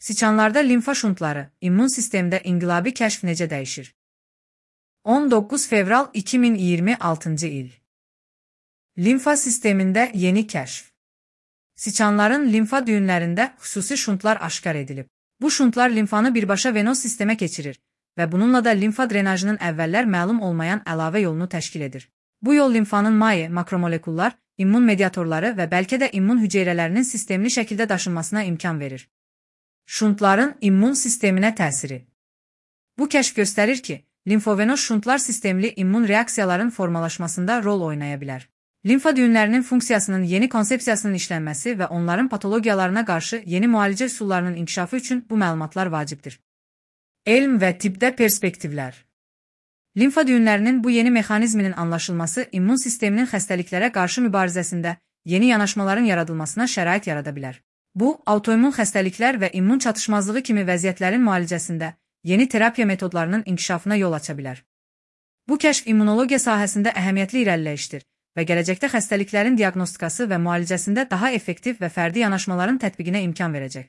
Siçanlarda limfa şuntları, immun sistemdə inqilabi kəşf necə dəyişir? 19 fevral 2026 il. Limfa sistemində yeni kəşf. Siçanların limfa düyünlərində xüsusi şuntlar aşkar edilib. Bu şuntlar limfanı birbaşa venoz sistemə keçirir və bununla da limfa drenajının əvvəllər məlum olmayan əlavə yolunu təşkil edir. Bu yol limfanın maye, makromolekullar, immun mediatorları və bəlkə də immun hüceyrələrinin sistemli şəkildə daşınmasına imkan verir. Şuntların immun sisteminə təsiri. Bu kəşf göstərir ki, limfovenoz şuntlar sistemli immun reaksiyaların formalaşmasında rol oynaya bilər. Limfa düyünlərinin funksiyasının yeni konsepsiyasının işlənməsi və onların patologiyalarına qarşı yeni müalicə üsullarının inkişafı üçün bu məlumatlar vacibdir. Elm və tibbdə perspektivlər. Limfa düyünlərinin bu yeni mexanizminin anlaşılması immun sisteminin xəstəliklərə qarşı mübarizəsində yeni yanaşmaların yaradılmasına şərait yarada bilər. Bu, autoimmun xəstəliklər və immun çatışmazlığı kimi vəziyyətlərin müalicəsində yeni terapiya metodlarının inkişafına yol aça bilər. Bu kəşf immunologiya sahəsində əhəmiyyətli irəliləyişdir və gələcəkdə xəstəliklərin diaqnostikası və müalicəsində daha effektiv və fərdi yanaşmaların tətbiqinə imkan verəcək.